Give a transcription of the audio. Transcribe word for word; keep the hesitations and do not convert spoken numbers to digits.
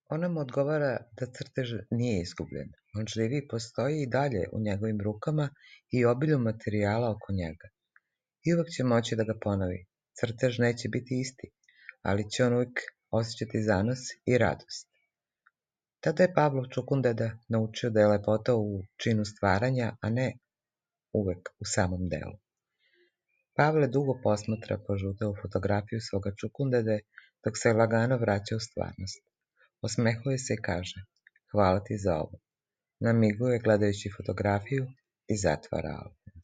Ona mu odgovara da crtež nije izgubljen. On živi i postoji i dalje u njegovim rukama i obilju materijala oko njega. I uvek će moći da ga ponovi. Crtež neće biti isti, ali će on uvijek osjećati zanos i radost. Tada je Pavlov Čukundeda naučio da je lepota u činu stvaranja, a ne uvek u samom delu. Pavle dugo posmatra požutelu fotografiju svoga Čukundede dok se lagano vraća u stvarnost. Osmehuje se i kaže: "Hvala ti za ovo." Namiguje gledajući fotografiju i zatvara album.